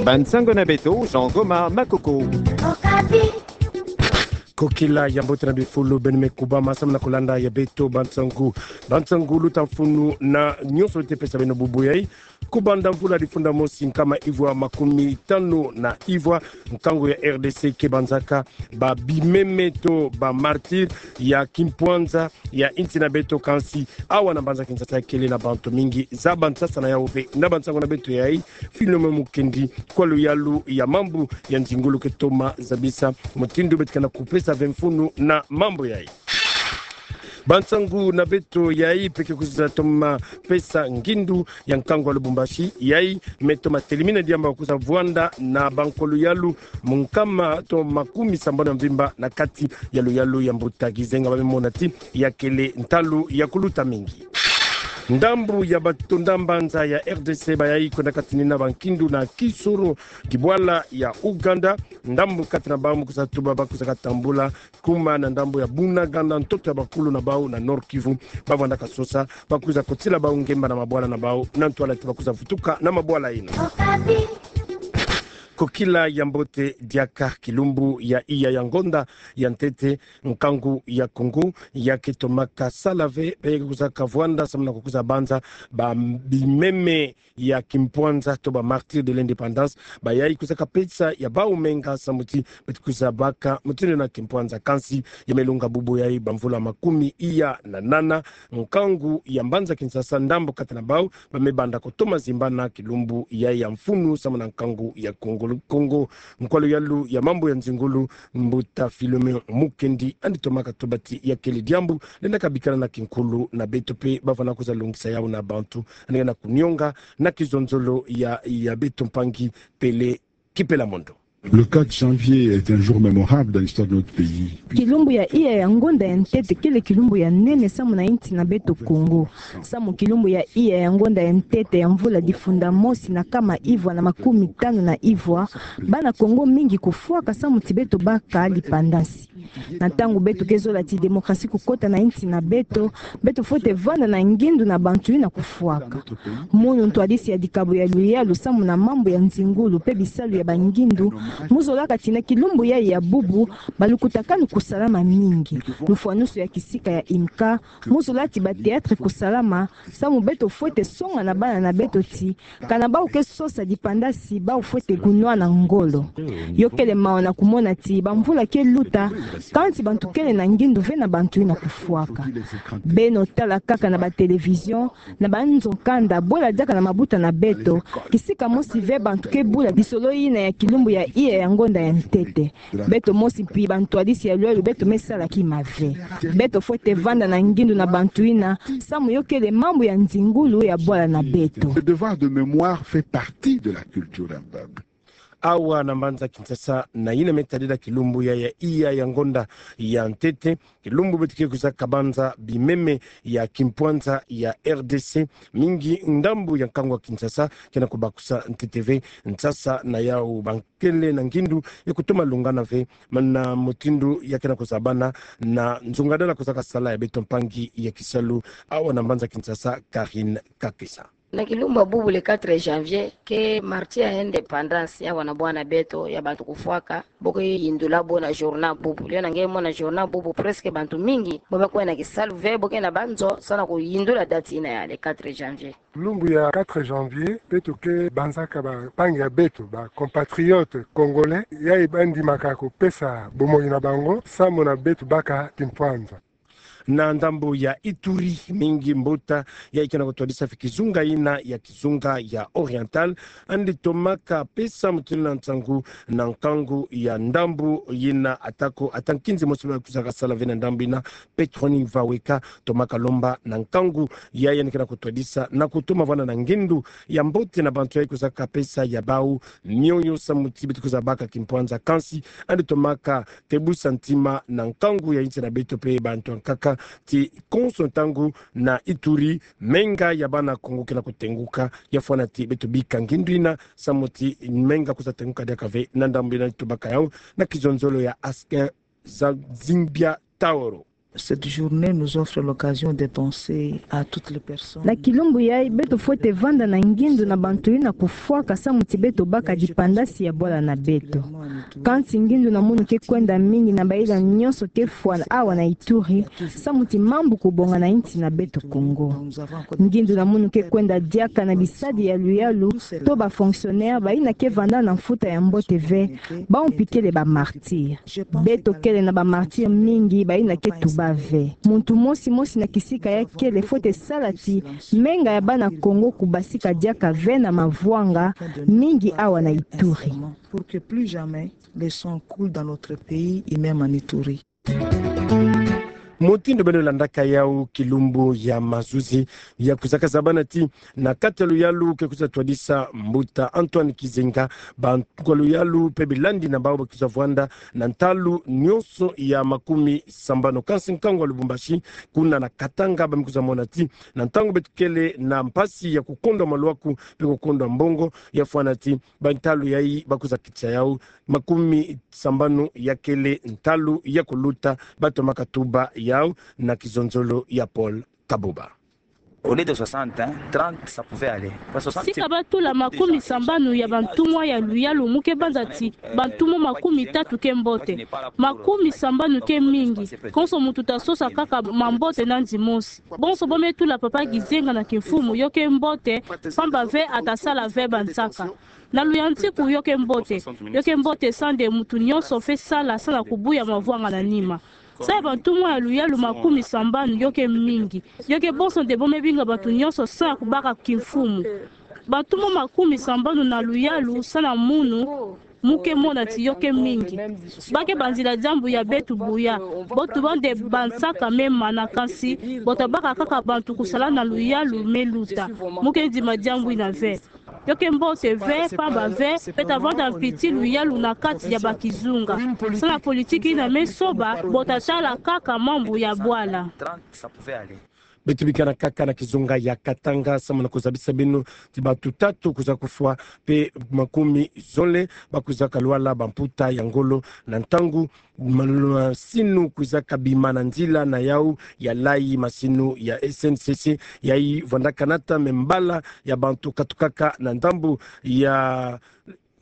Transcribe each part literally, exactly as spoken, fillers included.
Bansango na beto, Jean Gomar Makoko. Kokila ya mbote na bifulu, beno me kubama samu na kolanda ya beto bansango. Bansango luta mfunu na nyonso lutapesa beno bubu yayi. Kobanda mvula difunda mosi nkama ivwa makumi tanu na ivwa, nkangu ya R D C ke banzaka ba bimeme to ba martyrs ya kimpwanza ya insi na beto, kansi awa na mbanza Kinshasa kele na bantu mingi. Zaba nsasa na yawu mpe na bansango na beto yayi, Philomène Mukendi, kwa luyalu ya mambu ya nzingulu, ke toma zabisa mutindu beto ke na kupesa ve mfunu na mambu yayi. Bansango na beto yayi mpe ke kwiza toma pesa ngindu ya nkangu ya Lubumbashi yayi me toma telimina diambu ya kwiza vwanda na bankwa luyalu mu nkama to makumi sambanu ya mvimba na kati ya luyalu ya mbuta kizenga. Ba me mona ti ya kele ntalu ya kuluta mingi. Ndambu ya batonda mbanza ya R D C bayayi kwenda katinina bankindu na Kisoro, kibwala ya Uganda. Ndambu kati na bawu mu kwiza tuba ba kwiza katambula kuma na ndambu ya Bunagana, ntoto ya bakulu na bawu na Nord-Kivu. Ba vwanda kasosa ba kwiza kotila bawu ngemba na mabwala na bawu, na ntwala ti ba kwiza vutuka na mabwala yina. Kokila ya mbote diaka, kilumbu ya iya ya ngonda ya ntete nkangu ya Kongo ya ke tomaka sala ve, ba ke kwiza kavwanda samu na kukwiza banza ba bimeme ya kimpwanza to ba martyrs de l'indépendance. Bayayi kwiza kapesa ya bawu menga samu ti beto kwiza baka mutindu na kimpwanza. Kansi ya me lunga bubu yayi bamvula makumi iya na nana, nkangu ya mbanza Kinshasa, ndambu kati na bawu ba me banda kotoma zimbana kilumbu yayi ya mfunu samu na nkangu ya Kongo. Kongo, nkwa luyalu ya mambu ya nzingulu, mbuta Philomène Mukendi, yandi tomaka tuba ti ya kele diambu lenda kabikana na kinkulu na beto mpe ba vwanda kwiza lungisa yawu na bantu. Yandi ke na kunionga na kizonzolo ya, ya beto mpangi Pele Kipela Mondo. Le quatre janvier est un jour mémorable dans l'histoire de notre pays. Kilumbu ya iya ya ngonda ya ntete kele kilumbu ya nene samu na insi na beto Kongo. Samu kilumbu ya iya ya ngonda ya ntete ya mvula difunda mosi na kama ivwa na makumi tanu na ivwa, bana Kongo mingi kufwaka samu ti beto baka lipandasi. Na ntangu beto ke zola ti démocratie kukota na insi na beto, beto fwete vanda na ngindu na bantu yina kufwaka. Munu ntwadisi ya dikabo ya luyalu samu na mambu ya nzingulu mpe bisalu ya bangindu, mu zolaka ti na kilumbu yayi ya bubu, balukutakanu kusalama mingi. Lufwanusu ya kisika ya IMCA mu zola ti ba théâtres kusalama, samu beto fwete songa na bana na beto ti kana bawu ke sosa dipandasi, bawu fwete kunwana ngolo. Yo kele mawa na kumona ti bamvula ke luta, kansi bantu kele na ngindu ve na bantu yina kufwaka. Beno tala kaka na ba télévision, na banzo kanda, bwela diaka na mabuta na beto, kisika mosi ve bantu ke bula lisolo yina ya kilumbu ya iya ya ngonda ya ntete. Beto mosi mpi bantwadisi ya luyalu beto me sala kima ve. Beto fwete vanda na ngindu na bantu yina, samu yo kele mambu ya nzingulu ya bwala na beto. Le devoir de mémoire fait partie de la culture d'un peuple. Awa na mbanza Kinshasa, na yina me tadila kilumbu ya, ya iya ya ngonda ya ntete, kilumbu beto ke kwiza kabanza bimeme ya kimpwanza ya R D C, mingi ndambu ya nkangu ya Kinshasa ke na kubakusa ntete ve nsasa na yawu, ba kele na ngindu ya kutoma lungana ve, mana mutindu ya ke na kuzabana na nzungadala kwiza kasala ya beto mpangi ya kisalu awa na mbanza Kinshasa, Karine Kakesa. Na kilumbu ya bubu le quatre janvier, ke martyrs ya indépendance ya wana bwana beto ya bantu kufwaka, bo ke yindula bo na journal bubu. Leo na nge mona journal bubu, presque bantu mingi bo me kwenda kisalu ve, bo ke na banzo, samu na kuyindula date yina ya le quatre janvier. Lumbu ya quatre janvier, beto ke banzaka bampangi ya beto, ba compatriotes congolais, yayi bandimaka kopesa bomoi na bango, samu na beto baka kimpwanza. Na ndambu ya Ituri, mingi mbuta yayi ke na kutwadisa ve kizunga yina ya kizunga ya Oriental, yandi tomaka pesa mutindu na nsangu na nkangu ya ndambu yina, atako ata nkinzi mosi ba kwiza kasala ve na ndambu yina, Petroni Vaweka, tomaka lomba na nkangu yayi yandi ke na kutwadisa na kutoma vwanda na ngindu ya mbote na bantu yayi kwiza kapesa ya bawu mioyo samu ti beto kwiza baka kimpwanza. Kansi yandi tomaka tebusa ntima na nkangu ya insi na beto mpe bantu ya nkaka ti konso ntangu na Ituri, menga ya bana Kongo ke na kutenguka. Ya fwana ti beto bika ngindu yina samu ti menga kwiza tenguka diaka ve na ndambu yina. Tubaka yawu na kizonzolo ya Askin Zingbia Taoro. Cette journée nous offre l'occasion de penser à toutes les personnes. Na kilumbu yayi, beto fwete vanda na ngindu na bantu yina kufwaka samu ti beto baka dipandasi ya bwala na beto. Kansi ngindu na munu ke kwenda mingi na bayina nyonso ke fwa awa na Ituri, samu ti mambu kubonga na insi na beto Kongo. Ngindu na munu ke kwenda diaka na bisadi ya luyalu, to ba fonctionnaires bayina ke vanda na mfuta ya mbote ve, bawu mpi kele ba martyrs. Beto kele na ba martyrs mingi bayina ke tuba ve. Muntu mosi mosi na kisika ya kele fwete sala ti menga ya bana Kongo kubasika diaka ve na mavwanga mingi awa na Ituri. Pour que plus jamais le sang coule dans notre pays et même en Ituri. Mutindu beno landaka yawu, kilumbu ya mazuzi ya kwizaka zabana ti na kati ya luyalu ke kwiza twadisa mbuta Antoine Gizenga, bantu ya luyalu mpe bilandi na bawu ba kwiza vwanda na ntalu nyonso ya makumi sambanu. Kansi nkangu ya Lubumbashi, kuna na Katanga, ba me kwiza mona ti na ntangu beto kele na mpasi ya kukondwa maluaku mpe kukondwa mbongo, ya fwana ti ba ntalu yayi ba kwiza kitisa yawu, makumi sambanu ya kele ntalu ya kuluta, bato maka tuba yawu na kizonzolo ya Paul Kabuba. Au lieu de soixante, hein, trente, ça pouvait aller. Parce que soixante, si ka ba tula makumi sambanu ya bantumwa ya luyalu, mu ke banza ti bantumwa makumi tatu ke mbote. Makumi sambanu ke mingi. Konso muntu ta sosa kaka mambote nandi mosi. Bonso bo me tula papa Gizenga na kimfumu, yo ke mbote, pamba ve ata sala ve bansaka. Na luyantiku, yo ke mbote. Yo ke mbote sa nde muntu nyonso fwe sala, sa na kubuya mavwanga na nima. Sa ya bantumwa ya luyalu makumi sambanu, yo ke mingi. Yo ke bonso nde bo me binga bantu nyonso sa na kubaka kimfumu. Bantumwa makumi sambanu na luyalu sa na munu, mu ke mona ti yo ke mingi. Ba ke banzila diambu ya beto buya. Bo tuba nde bansaka me mana, kansi bo ta baka kaka bantu kusala na luyalu me luta. Mu ke ndima diambu yina ve. Yo ke mbote ve, pamba ve, beto ta vanda mpiti luyalu na kati ya bakizunga. Sa na politiki yina me soba, bo ta tala kaka mambu ya bwala. Beto bikana kaka na kizunga ya Katanga, samu na kuzabisa beno ti bantu tatu kwiza kufwa, mpe makumi zole ba kwizaka lwala bamputa ya ngolo na ntangu ma-, masinu kwizaka bima na nzila na yawu ya layi, masinu ya S N C C, yayi vwandaka nata me mbala ya bantu katukaka na ndambu ya,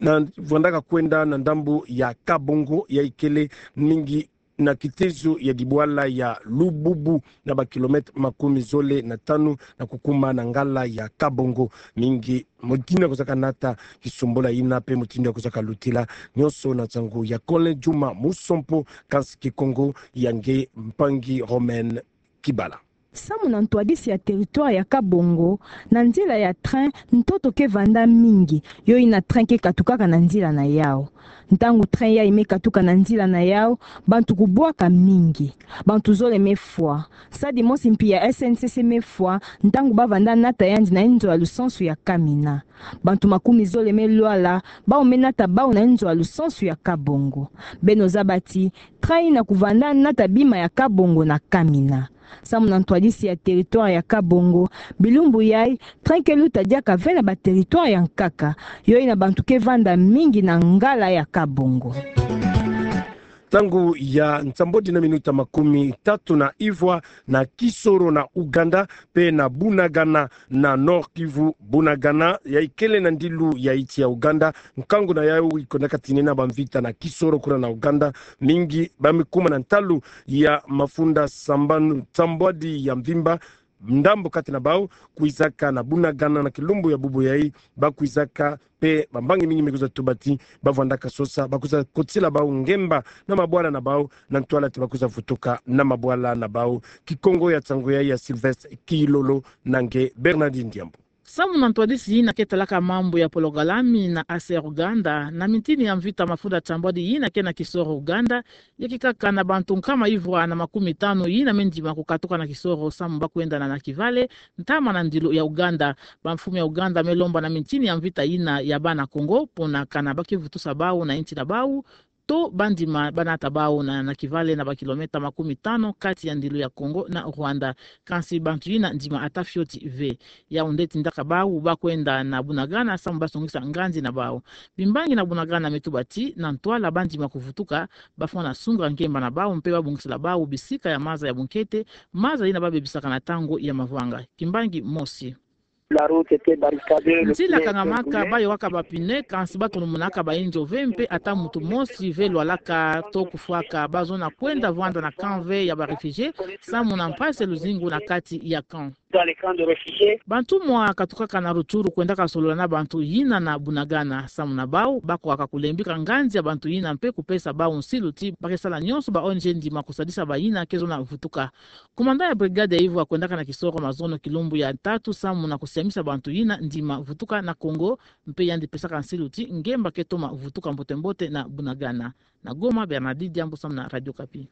na vwandaka kwenda na ndambu ya Kabongo, yayi kele mingi na kitezo ya dibwala ya Lububu, na ba kilomètres makumi zole na tanu na kukuma na ngala ya Kabongo. Mingi mutindu ya kwizaka nata kisumbula yina mpe mutindu ya kwizaka lutila, nyonso na nsangu ya Colin Juma Musompo, kansi Kikongo ya nge mpangi Romaine Kibala. Samu na ntwadisi ya territoire ya Kabongo, na nzila ya train, ntoto ke vanda mingi, yo yina train ke katukaka na nzila na yawu. Ntangu train yayi me katuka na nzila na yawu, bantu kubwaka mingi. Bantu zole me fwa. Sadi mosi mpi ya S N C C me fwa, ntangu ba vanda nata yandi na inzo ya lusansu ya Kamina. Bantu makumi zole me lwala, bawu me nata bawu na inzo ya lusansu ya Kabongo. Beno zaba ti train yina kuvanda nata bima ya Kabongo na Kamina. Samu na ntwadisi ya territoire ya Kabongo, bilumbu yayi, train ke luta diaka ve na ba territoire ya nkaka, yo yina bantu ke vanda mingi na ngala ya Kabongo. Ntangu ya nsambwadi na minuta makumi tatu na ivwa, na Kisoro na Ouganda, mpe na Bunagana na Nord-Kivu. Bunagana yayi kele na ndilu ya insi ya Ouganda. Nkangu na yawu ikondaka tinena bamvita na Kisoro kuna na Ouganda. Mingi ba me kuma na ntalu ya mafunda sambanu, nsambwadi ya mvimba. Ndambu kati na bawu kwizaka na Bunagana na kilumbu ya bubu yayi, ba kwizaka mpe bambangi mingi me kwiza tuba ti ba vwandaka sosa, ba kwiza kotila bawu ngemba na mabwala na bawu, na ntwala ti ba kwiza vutuka na mabwala na bawu. Kikongo ya nsangu yayi ya Sylvestre Kilolo na nge Bernardine Diambu. Samu na ntwadisi yina ke talaka mambu ya pologalami na A C R Ouganda, na mintini ya mvita mafunda nsambwadi yina ke na Kisoro Ouganda, ya kikaka na bantu nkama ivwa na makumi tanu yina me ndima kukatuka na Kisoro samu ba kwenda na Nakivale, ntama na ndilu ya Ouganda. Bamfumu ya Ouganda me lomba na mintini ya mvita yina ya bana Kongo, pona kana ba ke vutusa bawu na insi na bawu, to bandima banata bau na, na kivale na ba kilomètre makumi tano kati ya ndilu ya Congo na Rwanda. Kansi bantu yina ndima ata fioti ve. Yau nde tindaka bau bakwenda na Bunagana samu basongisa nganzi na bau. Bimbangi na Bunagana me tuba ti, na ntwala bandima kuvutuka, bafwana sunga nkemba na bau mpe babongisila bau bisika ya maza ya bunkete, maza yina babebisaka na ntangu ya mavanga. Kimbangi mosi. Nzila kangamaka, bayohaka ba pneu, kansi batonomonaka bayinzo ve mpe ata muntu mosi ve lwalaka to kufwaka. Bazona kwenda vwanda na camp ve ya ba réfugiés, samu na mpasi luzingu na kati ya camp. Bantumwa katukaka na Rutshuru kwendaka solola na bantu yina na Bunagana, samu na bau bakwaka kulembika nganzi ya bantu yina mpe kupesa bau nsilu ti bakesala nyonso ba O N G ndima kusadisa bayina kezona vutuka. Commandant ya brigade ya Ivwa kwendaka na Kisoro mazono kilumbu ya tatu samu na kusiamisa bantu yina ndima vutuka na Congo, mpe yandi pesaka nsilu ti ngemba ketoma vutuka mbote-mbote na Bunagana. Na Goma, Bernardine Diambu samu na Radio Okapi.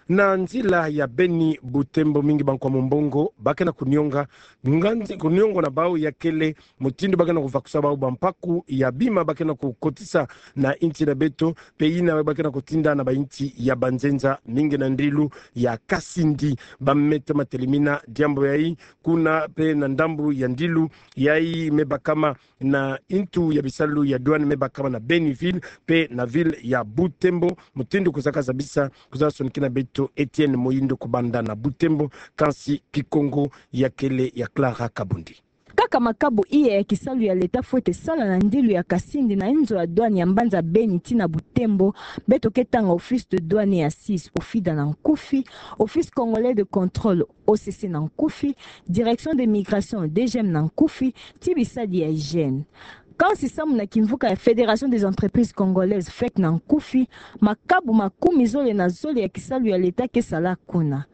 Na nzila ya Beni Butembo, mingi bankwa mumbongo bakena kunionga, nganzi kuniongo na bau ya kele mutindu bakena kuvakusa bau bampaku ya bima bakena kukotisa na insi na beto, mpe yina bakena kutinda na bainsi ya banzenza, mingi na ndilu ya Kasindi. Bameta matelemina diambu yayi kuna mpe na ndambu ya ndilu yayi me bakama na intu ya bisalu ya douane me bakama na Beni ville mpe na ville ya Butembo. Mutindu kuzaka zabisa, kuzaka sonikina beto Etienne Moyindo kubanda na Butembo, kansi Kikongo ya kele ya Clara Kabundi. Kaka makabu iya ya kisalu ya leta fwete sala na ndilu ya Kasindi na inzo ya douane ya mbanza Beni tii na Butembo, beto ke tanga Office de douane et assises, OFIDA na nkufi, Office congolais de contrôle, O C C na nkufi, Direction des migrations, D G M na nkufi, tii bisadi ya hygiène. Kansi samu na kimvuka ya Fédération des entreprises congolaises, fec na nkufi, makabu makumi zole na zole ya kisalu ya leta ke sala kuna.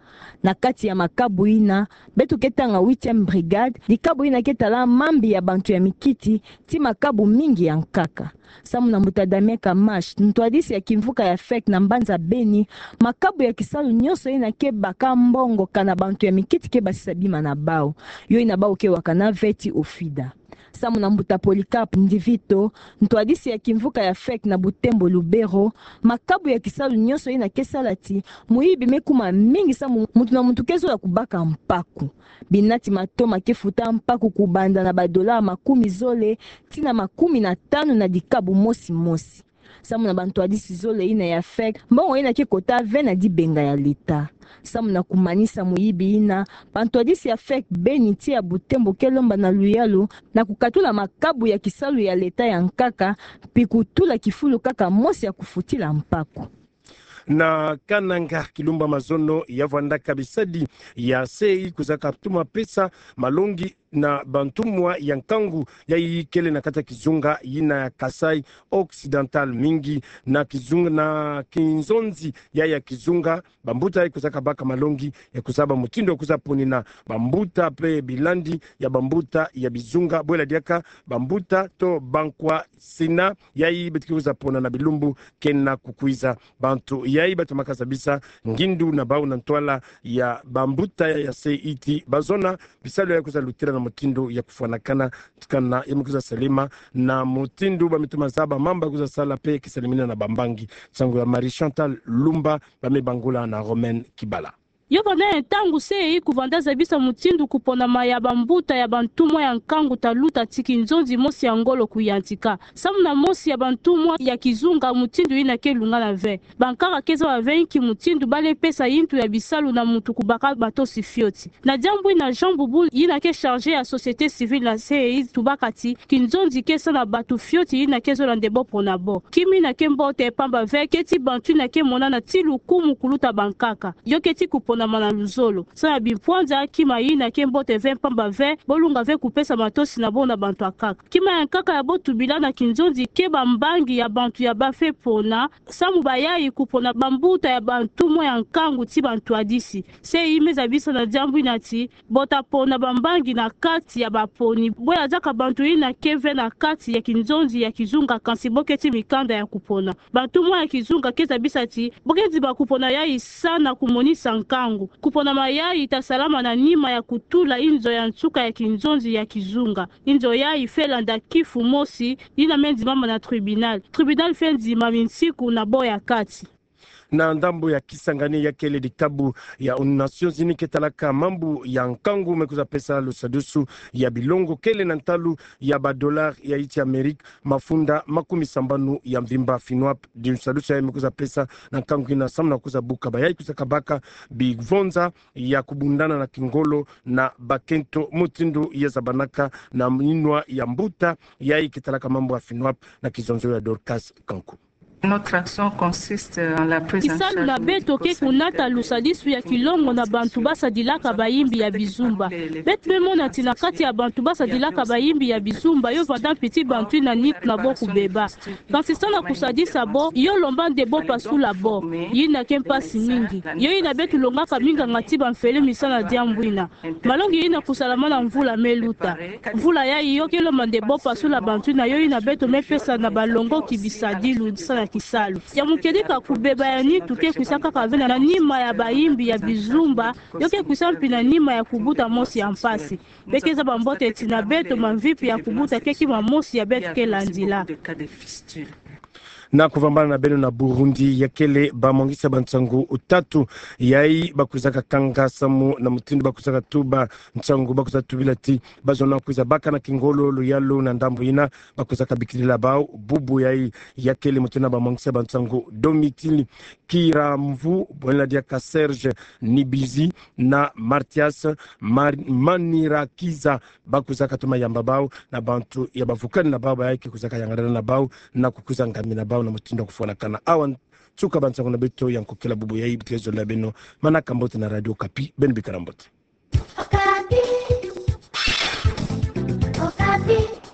Na kati ya makabu yina, beto ke tanga huitième brigade, dikabu yina ke tala mambi ya bantu ya mikiti, tii makabu mingi ya nkaka. Samu na mbuta Damien Kamash, ntwadisi ya kimvuka ya fec na mbanza Beni, makabu ya kisalu nyonso yina ke baka mbongo kana bantu ya mikiti ke basisa bima na bau. Yo yina bau ke wakana ve tii OFIDA. Samu na mbuta Polycarpe Ndivito, ntwadisi ya kimvuka ya fec na Butembo Lubero, makabu ya kisalu nyonso yina ke sala ti muyibi me kuma mingi samu muntu na muntu ke zola kubaka mpaku. Binati matoma ke futa mpaku kubanda na ba dollars makumi zole tii na makumi na tanu na dikabu mosi mosi. Samu na bantwadisi zole yina ya fec, mbongo yina ke kota ve na dibenga ya leta. Samu na kumanisa muyibi yina, bantwadisi ya fec Beni tii ya Butembo ke lomba na luyalu na kukatula makabu ya kisalu ya leta ya nkaka, mpi kutula kifulu kaka mosi ya kufutila mpaku. Na Kananga, kilumbu ya mazono ya vwandaka bisadi ya C I kuzaka tuma pesa malongi na bantumwa ya nkangu yayi kele na kati ya kizunga yina ya Kasaï Occidental, mingi na kizunga, na kinzonzi ya, ya kizunga. Bambuta yayi kuzaka baka malongi ya kuzaba mutindu ya kuza ponina bambuta mpe bilandi ya bambuta ya bizunga. Bwela diaka bambuta to bankwa Sénat yayi beto ke kuza pona na bilumbu kena kukwiza. Bantu yayi batomaka zabisa ngindu na bau na ntwala ya bambuta ya C I ti bazona bisalu yayi kuza lutila na mutindu ya kufwanakana, kana ya me kuza salema na mutindu ba me toma zaba mamba kuza sala mpe kisalimina na bambangi. Nsangu ya Marie Chantal Lumba, ba me bangula na Romaine Kibala. Yo vanda ntangu C I kuvanda zabisa mutindu kuponama ya bambuta ya bantumwa ya nkangu ta luta tii kinzonzi mosi ya ngolo kuyantika. Samu na mosi ya bantumwa ya kizunga mutindu yina ke lungana ve. Bankaka ke zaba ve inki mutindu ba lenda pesa yintu ya bisalu na muntu kubaka matosi fioti. Na diambu yina Jean Boubou yina ke chargé ya société civile na C I tubaka ti, kinzonzi ke sa na bantu fioti yina ke zola nde bo pona bo. Kima yina ke mbote mpamba ve ke tii bantu yina ke monana tii lukumu kuluta bankaka. Yo ke tii kuponama na luzolo. Sa na bimpwanza kima yina ke mbote ve mpamba ve, bo lunga ve kupesa matosi na bo na bantu ya nkaka. Kima ya nkaka ya bo tubila na kinzonzi ke bambangi ya bantu ya ba fwe pona, samu bayayi kupona bambuta ya bantumwa ya nkangu tii bantwadisi. C I me zabisa na diambu yina ti, bo ta pona bambangi na kati ya baponi. Bwela diaka bantu yina ke ve na kati ya kinzonzi ya kizunga kansi bo ke tii mikanda ya kupona. Bantumwa ya kizunga ke zabisa ti, bo ke dima kupona yayi sa na kumonisa nkangu. Kuponama yayi ita salama na nima ya kutula inzo ya nsuka ya kinzonzi ya kizunga. Inzo yayi fwete landa kifu mosi yina me ndimama na tribunal. Tribunal fwete ndima minsiku na bo ya kati. Na ndambu ya Kisangani, ya kele ditabu ya Nations Unies ke talaka mambu ya nkangu me kwiza pesa lusadisu ya bilongo kele na ntalu ya ba dollars ya insi ya Amerika mafunda makumi sambanu ya mvimba, FINUAP. Di lusadisu yayi me kwiza pesa na nkangu ina samu na kwiza buka bayayi kwiza kabaka bivonza ya kubundana na kingolo na bakento, mutindu ya zabanaka na minwa ya mbuta yayi ke talaka mambu ya FINUAP na kizonzolo ya Dorcas Kanku. Kisalu na beto ke kunata lusadisu ya kilongo na bantu basadilaka bayimbi ya bizumba. Beto me mona ti na kati ya bantu basadilaka bayimbi ya bizumba, yo vanda mpiti bantu yina nitu na bo kubeba. Kansi sa na kusadisa bo, yo lomba nde bo pasula bo. Yina ke mpasi mingi. Yo yina beto longaka minganga ti bamfelo mi sa na diambu ina. Malongi yina kusalama na mvula me luta. Mvula yayi yo ke lomba nde bo pasula bantu yina, yo yina beto me pesa na balongoki bisadilu sa na kisalu. Ya mukedika, kubeba ya nitu ke kwisa kaka ve na nima ya bayimbi ya bizumba, yo ke kwisa mpi na nima ya kubuta mosi ya mpasi. Be ke zaba mbote ti na beto mamvipi ya kubuta ke kima mosi ya beto ke landila. Na kuvambana na beno na Burundi, ya kele bamwangisa bansangu tatu yayi bakwiza kakanga samu na mutindu bakwiza katuba nsangu, bakwiza tubila ti bazona kwiza baka na kingolo luyalu na ndambu yina bakwiza kabikidila bau bubu yayi. Ya kele mutindu na bamwangisa bansangu Domitille Kiramvu, bwela diaka Serge Nibizi na Mathias Mar-, Manirakiza, bakwiza katuma yamba bau na bantu ya bavukani na bau, bayayi ke kwiza kayangalala na bau na kukwiza ngamina bau na mutindu wa kufwanakana. Awa nsuka bansangu na beto ya nkokela bubu yayi. Bitezo la beno, manaka mbote na Radio Okapi, beno bikala mbote. Okapi. Okapi.